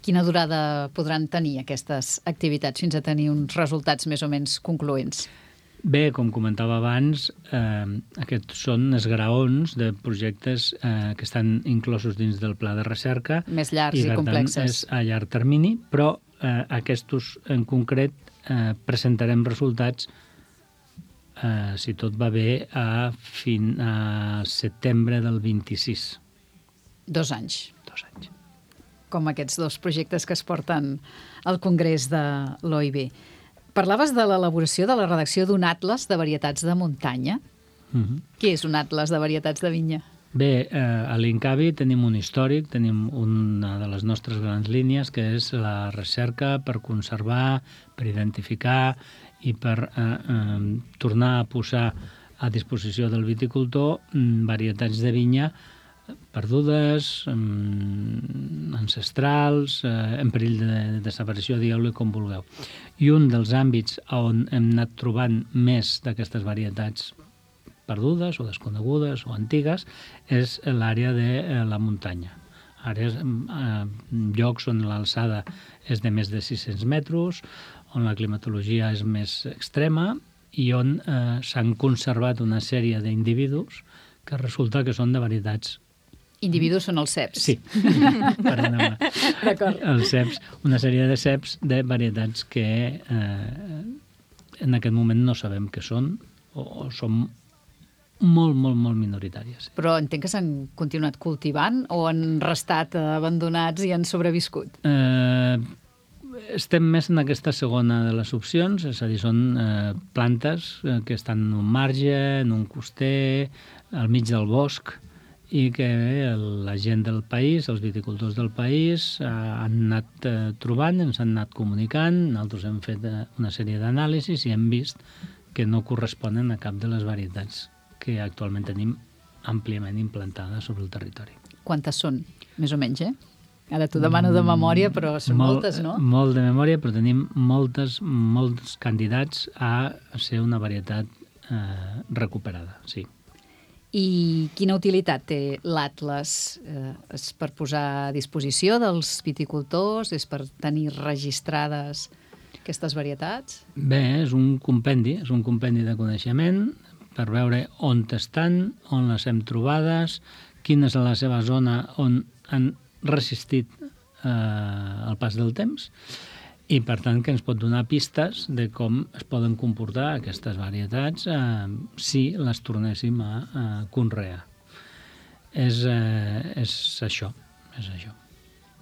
Quina durada podran tenir aquestes activitats fins a tenir uns resultats més o menys concloents? Bé, com comentava abans, aquests són esgraons de projectes que estan inclosos dins del pla de recerca. Més llargs i complexes. Per tant, és a llarg termini, però aquests en concret presentarem resultats, si tot va bé, a setembre del 26. 2 anys. 2 anys. Com aquests 2 projectes que es porten al Congrés de l'OIB. Parlaves de l'elaboració de la redacció d'un atles de varietats de muntanya. Què és un atles de varietats de vinya? Bé, a l'Incavi tenim un històric, tenim una de les nostres grans línies, que és la recerca per conservar, per identificar i per tornar a posar a disposició del viticultor varietats de vinya perdudes, ancestrals, en perill de desaparició, digueu-li com vulgueu. I un dels àmbits on hem anat trobant més d'aquestes varietats perdudes o desconegudes o antigues és l'àrea de la muntanya. Llocs on l'alçada és de més de 600 metres, on la climatologia és més extrema i on s'han conservat una sèrie d'individus que resulta que són de varietats. Individus són els ceps. Sí, perdona. D'acord. Els ceps, una sèrie de ceps de varietats que en aquest moment no sabem què són o són molt, molt, molt minoritàries. Però entenc que s'han continuat cultivant o han restat abandonats i han sobreviscut? estem més en aquesta segona de les opcions, és a dir, són plantes que estan en un marge, en un coster, al mig del bosc, i que la gent del país, els viticultors del país, han anat trobant, ens han anat comunicant, nosaltres hem fet una sèrie d'anàlisis i hem vist que no corresponen a cap de les varietats que actualment tenim àmpliament implantades sobre el territori. Quantes són, més o menys, Ara t'ho demano de memòria, però són moltes, no? Molt de memòria, però tenim molts candidats a ser una varietat recuperada, sí. I quina utilitat té l'Atles? És per posar a disposició dels viticultors? És per tenir registrades aquestes varietats? Bé, és un compendi de coneixement per veure on estan, on les hem trobades, quina és la seva zona on han resistit el pas del temps i, per tant, que ens pot donar pistes de com es poden comportar aquestes varietats si les tornéssim a conrear. És això.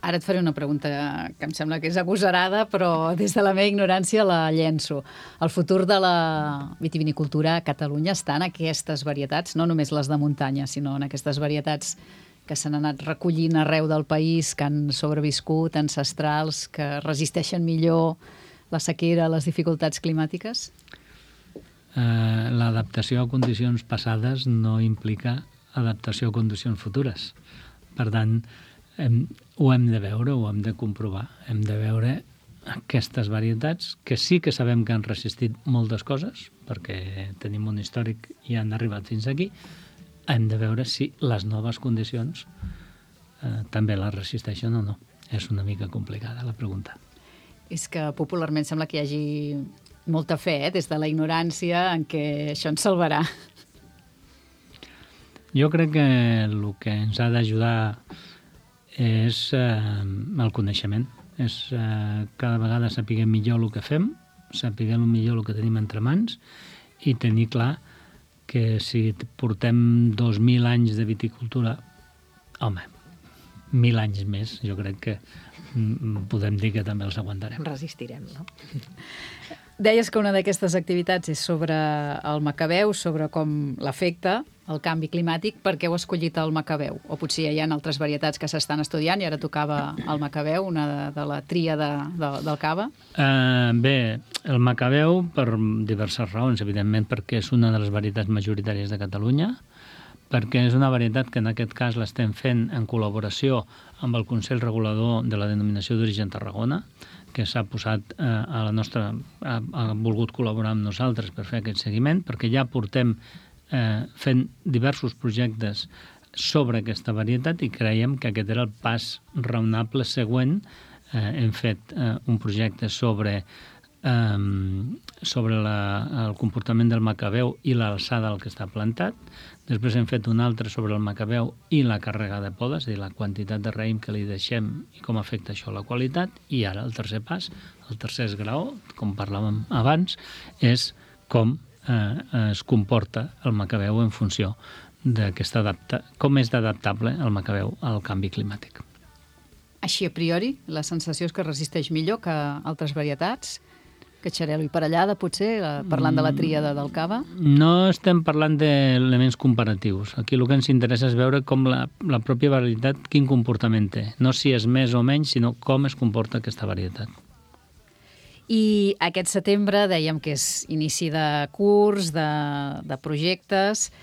Ara et faré una pregunta que em sembla que és agosarada, però des de la meva ignorància la llenço. El futur de la vitivinicultura a Catalunya està en aquestes varietats, no només les de muntanya, sinó en aquestes varietats que s'han anat recollint arreu del país, que han sobreviscut, ancestrals, que resisteixen millor la sequera, les dificultats climàtiques? L'adaptació a condicions passades no implica adaptació a condicions futures. Per tant, ho hem de veure, ho hem de comprovar. Hem de veure aquestes varietats que sí que sabem que han resistit moltes coses, perquè tenim un històric i han arribat fins aquí. Hem de veure si les noves condicions també les resisteixen o no. És una mica complicada la pregunta. És que popularment sembla que hi hagi molta fe, des de la ignorància, en què això ens salvarà. Jo crec que el que ens ha d'ajudar és el coneixement. És cada vegada saber millor el que fem, saber millor el que tenim entre mans i tenir clar que si portem 2.000 anys de viticultura, home, 1.000 anys més, jo crec que podem dir que també els aguantarem. Resistirem, no? Deies que una d'aquestes activitats és sobre el macabeu, sobre com l'afecta el canvi climàtic. Per què heu escollit el macabeu? O potser hi ha altres varietats que s'estan estudiant i ara tocava el macabeu, una de la tria del cava? Bé, el macabeu per diverses raons, evidentment perquè és una de les varietats majoritàries de Catalunya, perquè és una varietat que en aquest cas l'estem fent en col·laboració amb el Consell Regulador de la Denominació d'Origen Tarragona, que s'ha posat a la nostra... ha volgut col·laborar amb nosaltres per fer aquest seguiment, perquè ja portem fent diversos projectes sobre aquesta varietat i creiem que aquest era el pas raonable següent. Hem fet un projecte sobre el comportament del macabeu i l'alçada al que està plantat. Després hem fet un altre sobre el macabeu i la càrrega de poda, és a dir, la quantitat de raïm que li deixem i com afecta això a la qualitat. I ara el tercer pas, el tercer esgraó, com parlàvem abans, és com es comporta el macabeu en funció com és d'adaptable el macabeu al canvi climàtic. Així, a priori, la sensació és que resisteix millor que altres varietats? Que xarel·lo i parellada, potser, parlant de la tríada del cava? No estem parlant d'elements comparatius. Aquí el que ens interessa és veure com la pròpia varietat, quin comportament té. No si és més o menys, sinó com es comporta aquesta varietat. I aquest setembre dèiem que és inici de curs, de projectes.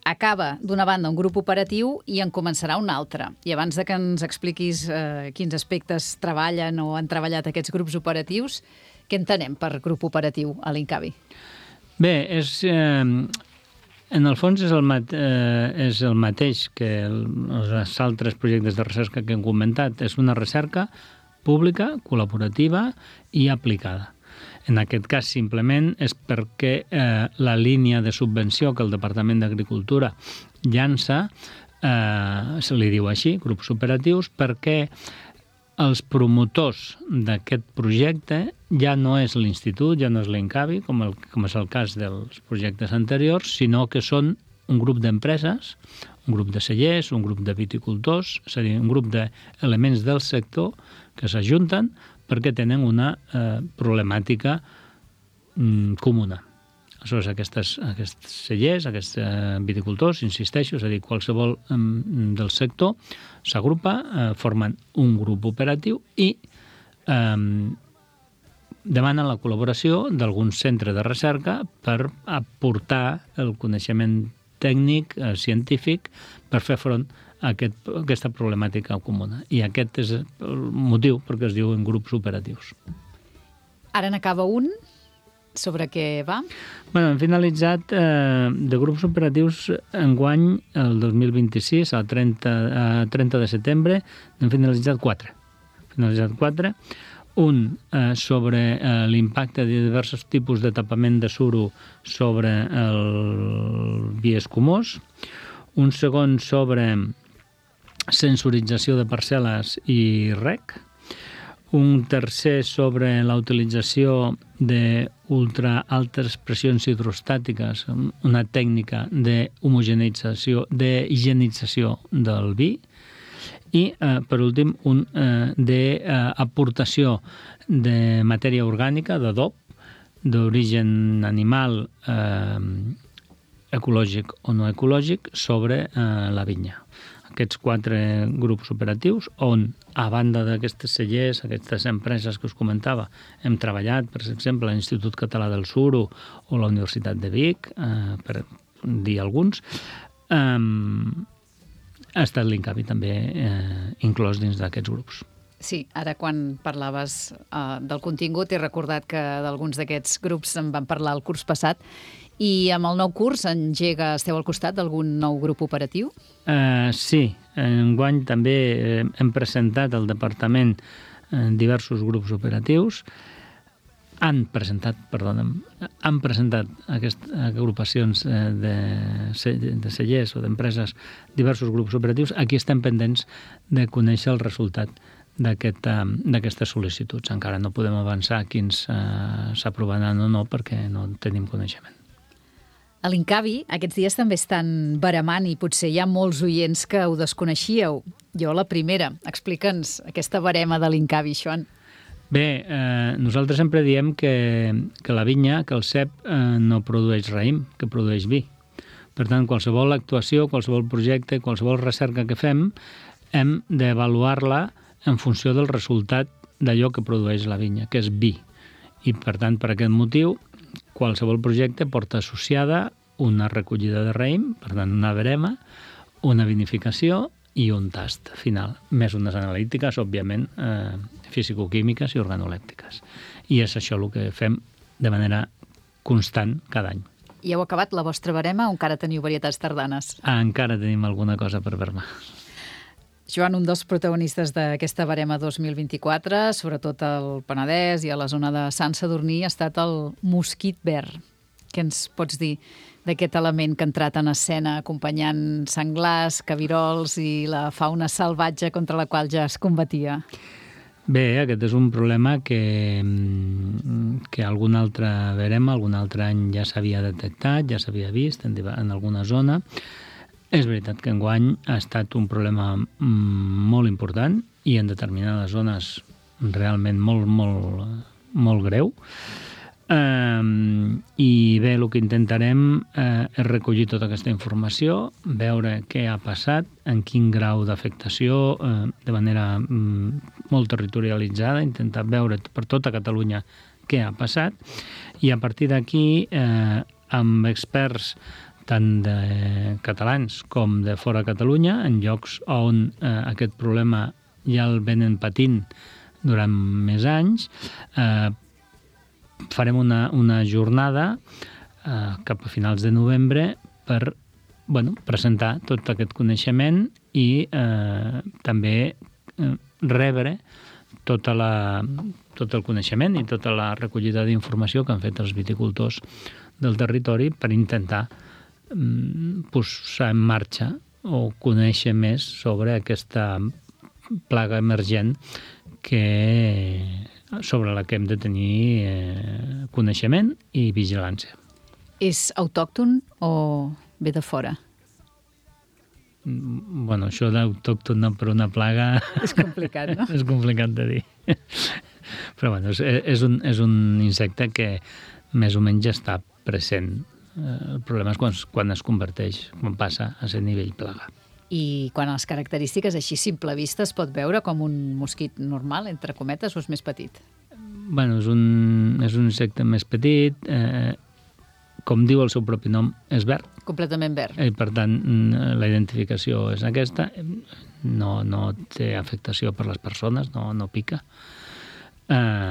Acaba, d'una banda, un grup operatiu i en començarà un altre. I abans de que ens expliquis quins aspectes treballen o han treballat aquests grups operatius, què entenem per grup operatiu a l'Incavi? Bé, en el fons és el mateix que els altres projectes de recerca que hem comentat. És una recerca pública, col·laborativa i aplicada. En aquest cas, simplement, és perquè la línia de subvenció que el Departament d'Agricultura llança, se li diu així, grups operatius, perquè els promotors d'aquest projecte ja no és l'Institut, ja no és l'Incavi, com és el cas dels projectes anteriors, sinó que són un grup d'empreses, un grup de cellers, un grup de viticultors, és a dir, un grup d'elements del sector que s'ajunten perquè tenen una problemàtica comuna. Aleshores, aquests cellers, aquests viticultors, insisteixo, és a dir, qualsevol del sector s'agrupa, formen un grup operatiu i demanen la col·laboració d'algun centre de recerca per aportar el coneixement tècnic, científic, per fer front a aquesta problemàtica comuna. I aquest és el motiu perquè es diuen grups operatius. Ara n'acaba un. Sobre què va? Hem finalitzat de grups operatius enguany, el 2026, a 30 de setembre, n'hem finalitzat 4. Un sobre l'impacte de diversos tipus de tapament de suro sobre el vi escumós, un segon sobre sensorització de parcel·les i rec, un tercer sobre la utilització d'ultraaltes pressions hidrostàtiques, una tècnica d'homogeneïtzació, d'higienització del vi, i, per últim, un d'aportació de matèria orgànica, d'adob, d'origen animal, ecològic o no ecològic, sobre la vinya. Aquests 4 grups operatius, on, a banda d'aquestes cellers, aquestes empreses que us comentava, hem treballat, per exemple, a l'Institut Català del Suro o la Universitat de Vic, per dir alguns, ha estat l'Incavi també inclòs dins d'aquests grups. Sí, ara quan parlaves del contingut he recordat que d'alguns d'aquests grups en van parlar el curs passat. I amb el nou curs esteu al costat d'algun nou grup operatiu? Sí, enguany també hem presentat al departament diversos grups operatius. Han presentat aquestes agrupacions de cellers o d'empreses diversos grups operatius. Aquí estem pendents de conèixer el resultat d'aquestes sol·licituds. Encara no podem avançar quins s'aprovaran o no perquè no tenim coneixement. A l'Incavi aquests dies també estan baramant i potser hi ha molts oients que ho desconeixíeu. Jo la primera. Explica'ns aquesta barema de l'Incavi, Joan. Bé, nosaltres sempre diem que la vinya, que el cep, no produeix raïm, que produeix vi. Per tant, qualsevol actuació, qualsevol projecte, qualsevol recerca que fem, hem d'avaluar-la en funció del resultat d'allò que produeix la vinya, que és vi. I, per tant, per aquest motiu, qualsevol projecte porta associada una recollida de raïm, per tant, una verema, una vinificació i un tast final, més unes analítiques, òbviament, fisicoquímiques i organolèptiques. I és això el que fem de manera constant cada any. I heu acabat la vostra barema o encara teniu varietats tardanes? Encara tenim alguna cosa per vermar. Joan, un dels protagonistes d'aquesta barema 2024, sobretot al Penedès i a la zona de Sant Sadurní, ha estat el mosquit verd. Què ens pots dir d'aquest element que ha entrat en escena acompanyant senglars, cabirols i la fauna salvatge contra la qual ja es combatia? Bé, aquest és un problema que algun altre verema, algun altre any ja s'havia detectat, ja s'havia vist en alguna zona. És veritat que enguany ha estat un problema molt important i en determinades zones realment molt greu. I bé, el que intentarem és recollir tota aquesta informació, veure què ha passat, en quin grau d'afectació, de manera molt territorialitzada, intentar veure per tota Catalunya què ha passat, i a partir d'aquí, amb experts tant de catalans com de fora de Catalunya, en llocs on aquest problema ja el venen patint durant més anys, farem una jornada cap a finals de novembre per presentar tot aquest coneixement i també rebre tot el coneixement i tota la recollida d'informació que han fet els viticultors del territori per intentar posar en marxa o conèixer més sobre aquesta plaga emergent sobre la que hem de tenir coneixement i vigilància. És autòcton o ve de fora? Bueno, això d'autòcton per una plaga... És complicat, no? És complicat de dir. Però bueno, és un insecte que més o menys ja està present. El problema és quan es converteix, quan passa a ser nivell plaga. I quan a les característiques així simple vista es pot veure com un mosquit normal, entre cometes, o és més petit? Bueno, és un insecte més petit, com diu el seu propi nom, és verd. Completament verd. I per tant, la identificació és aquesta, no té afectació per les persones, no pica.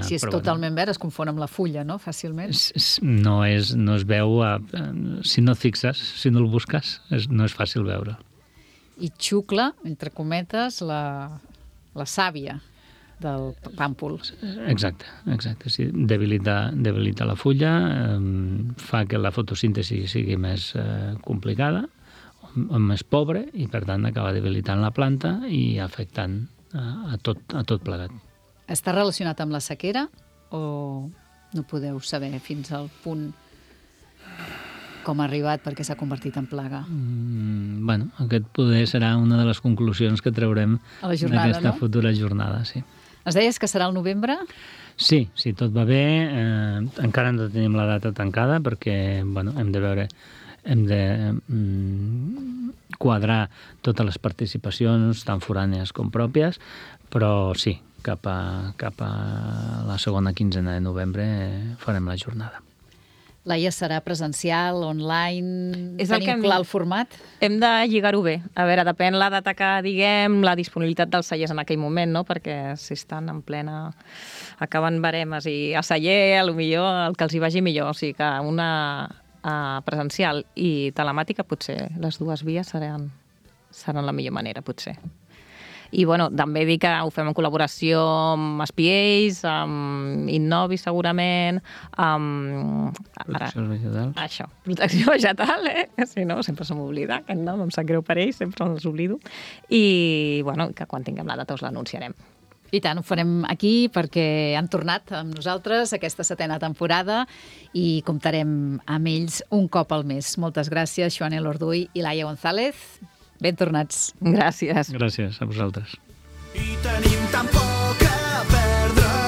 Si és totalment verd, es confon amb la fulla, no?, fàcilment. No es veu, si no et fixes, si no el busques, no és fàcil veure. I xucla, entre cometes, la sàvia del pàmpol. Exacte. Sí, debilita la fulla, fa que la fotosíntesi sigui més complicada, o més pobre, i per tant acaba debilitant la planta i afectant a tot plegat. Està relacionat amb la sequera o no podeu saber fins al punt com ha arribat perquè s'ha convertit en plaga? Bueno, aquest poder serà una de les conclusions que traurem d'aquesta futura jornada, sí. Es deies que serà el novembre? Sí, tot va bé. Encara no tenim la data tancada perquè hem de quadrar totes les participacions, tant forànies com pròpies, però sí, cap a la segona quinzena de novembre farem la jornada. Laia, serà presencial, online? Tenim clar el format? Hem de lligar-ho bé. A veure, depèn la data que diguem, la disponibilitat dels cellers en aquell moment, no? Perquè si estan en plena... acaben baremes i a celler, potser el que els hi vagi millor. O sigui que una presencial i telemàtica, potser les dues vies seran la millor manera, potser. I també dir que ho fem en col·laboració amb SPAs, amb Innovi segurament, amb... Protecció vegetal. Això, protecció vegetal, Si no, sempre se m'oblida aquest nom, em sap greu per ells, sempre els oblido. I, que quan tinguem la data us l'anunciarem. I tant, ho farem aquí perquè han tornat amb nosaltres aquesta 7a temporada i comptarem amb ells un cop al mes. Moltes gràcies, Joan Elorduy i Laia González. Ben tornats. Gràcies. Gràcies a vosaltres. I tenim tan poc a perdre.